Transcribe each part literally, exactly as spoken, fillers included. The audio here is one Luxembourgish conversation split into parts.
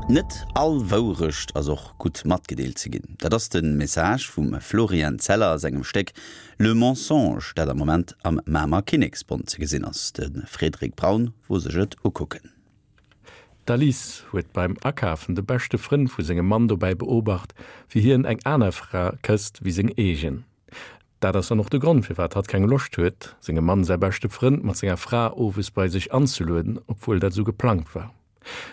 Net all Wourecht ass och gutt matgedeelt ze ginn. Dat ass de Message vum Florian Zeller a sengem Stéck Le Mensonge, dat am Moment am Mamer Kinneksbond ze gesinn ass. De Frédéric Braun wor sech et ukucken. D'Alice huet beim Akafen de beschte Frënd vu sengem Mann dobäi beobacht, wéi hien eng aner Fra kësst wéi seng eegen. Dat ass dann och de Grond, firwat hatt keng Loscht huet, sengem Mann säi beschte Frënd mat senger Fra owes bei sech anzelueden, obwuel dat sou geplangt war.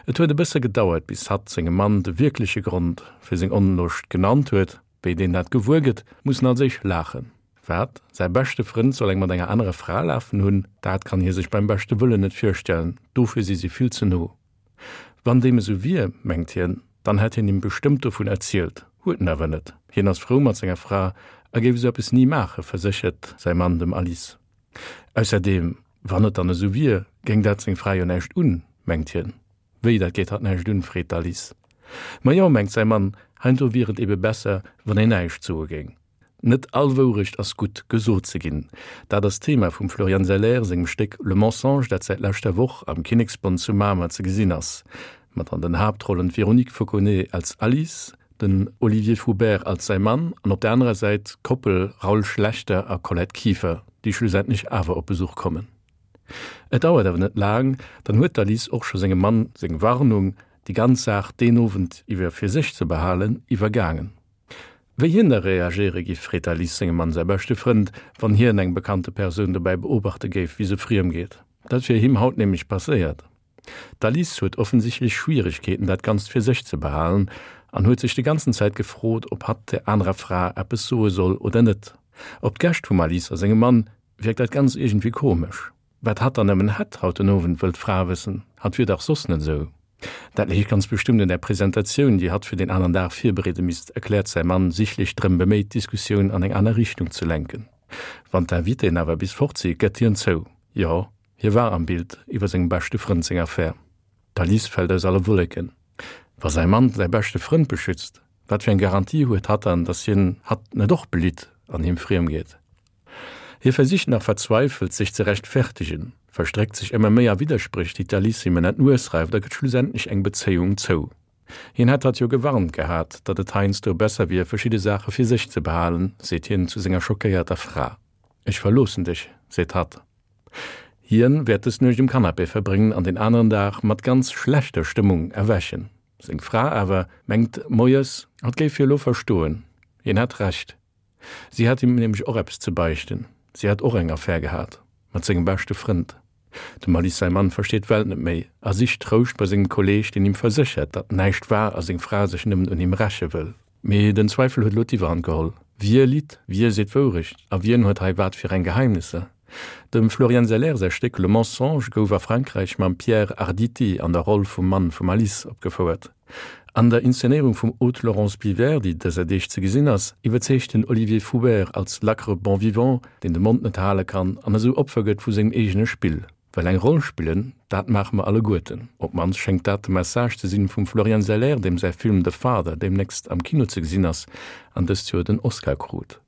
Et huet e bësse gedauert, bis hatt sengem Mann de wierkleche Grond fir seng Onloscht genannt huet. Wéi deen dat gewuer gëtt, muss en als éischt laachen. Wat? Säi beschte Frënd soll eng mat enger anerer Fra lafen hunn? Dat kann hie sech beim beschte Wëllen net virstellen, dofir si si vill ze no. Wann deem esou wier, mengt hien, dann hätt hien him bestëmmt dovun erzielt. Huet en awer net. Hien ass frou mat senger Fra a géif esou eppes ni maachen, verséchert säi Mann dem Alice. Ausserdeem, wann et dann esou wier, géing dat seng Fra jo näischt un, mengt hien. Wéi, dat geet hatt näischt un? freet d'Alice. Ma jo, mengt säi Mann, heiansdo wier et ebe besser, wann een näischt soe géing. Net all Wourecht ass gutt gesot ze ginn. Dat ass d'Thema vum Florian Zeller sengem Stéck Le Mensonge, dat säit leschter Woch am Kinneksbond zu Mamer ze gesinn ass. Mat an den Haaptrollen d'Véronique Fauconnet als Alice, den Olivier Foubert als säi Mann an op der anerer Säit d'Koppel Raoul Schlechter a Colette Kieffer, déi schlussendlech awer op Besuch kommen. Et dauert awer net laang, dann huet d'Alice och scho sengem Mann seng Warnung, déi ganz Saach deen Owend iwwer fir sech ze behalen, iwwergaangen. Wéi hien da reagéiere giff, freet d'Alice sengem Mann säi beschte Frënd, wann hien eng bekannte Persoun dobäi beobachte géif, wéi se friem geet. Dat wier him haut nämlech passéiert. D'Alice huet offensichtlech Schwieregkeeten, dat Ganzt fir sech ze behalen an huet sech déi ganzen Zäit gefrot, ob hatt der anerer Fra eppes soe soll oder net. Op d'Gäscht vum Alice a sengem Mann wierkt dat Ganzt iergendwéi komesch. Wat hatt dann nëmmen hätt haut den Owend, wëll d'Fra wëssen. Hatt wier dach soss net esou. Dat léich ganz bestëmmt un der Presentatioun, déi hatt fir den aneren Dag virbereede misst, erkläert säi Mann, sichtlech drëm beméit, d'Diskussioun an eng aner Richtung ze lenken. Wann d'Invitéen awer bis fort si, gëtt hien zou, Jo, hie war am Bild iwwer sengem beschte Frënd seng Affär. D'Alice fält aus alle Wolleken. Wa säi Mann säi beschte Frënd beschützt, wat fir eng Garantie huet hatt dann, datt hien hatt net och belitt an him friem geet? Hie versicht nach verzweifelt, sech ze rechtfertegen, verstréckt sech ëmmer méi a Widderspréch, déi d'Alice him ënner d'Nues reift a gëtt schlussendlech eng Bezéiung zou. Hien hätt hatt jo gewarnt gehat, datt et heiansdo besser wier, verschidde Saache fir sech ze behalen, seet hien zu senger schockéierter Fra. Ech verloossen dech, seet hatt. Hien wäert dës Nuecht um Canapé verbréngen an den aneren Dag mat ganz schlechter Stëmmung erwächen. Seng Fra awer mengt moies, hatt géif hie lo verstoen. Hien hätt Recht. Si hätt him nämlech och eppes ze beichten. Si hätt och eng Affär gehat. Mat sengem beschte Frënd. Dem Alice säi Mann versteet d'Welt net méi a sicht Trouscht bei sengem Kolleeg, deen him verséchert, datt näischt war a seng Fra sech nëmmen un him räche wëll. Mee den Zweifel huet elo d'Iwwerhand geholl. Wie litt, wie seet d'Wourecht a wien huet hei wat fir eng Geheimnisser? Dem Florian Zeller säi Stéck Le Mensonge gouf a Frankräich mam Pierre Arditi an der Roll vum Mann vum Alice opgefouert. An der Inszenéierung vum Aude-Laurence Biver, déi dëser Deeg ze gesinn ass, iwwerzeegt den Olivier Foubert als lackere Bon-vivant, deen de Mond net hale kann an esou Opfer gëtt vu sengem eegene Spill. Well eng Roll spillen, dat maache mer alleguerten. Op d'mannst schéngt dat de Message ze sinn vum Florian Zeller, deem säi Film The Father deemnächst am Kino ze gesinn ass an dëst Joer den Oscar krut.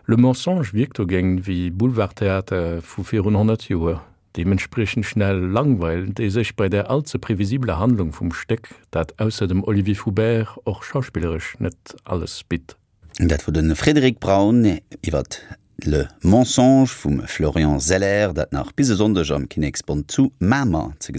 Le Mensonge wierkt dogéint wéi Boulevardtheater vu virun honnert Joer. Deementspriechend schnell langweilt ee sech bei der all ze previsibeler Handlung vum Stéck, dat ausser dem Olivier Foubert och schauspilleresch net alles bitt. Dat wor de Frédéric Braun iwwer Le Mensonge vum Florian Zeller, dat nach bis e Sonndeg am Kinneksbond zu Mamer ze gesinn.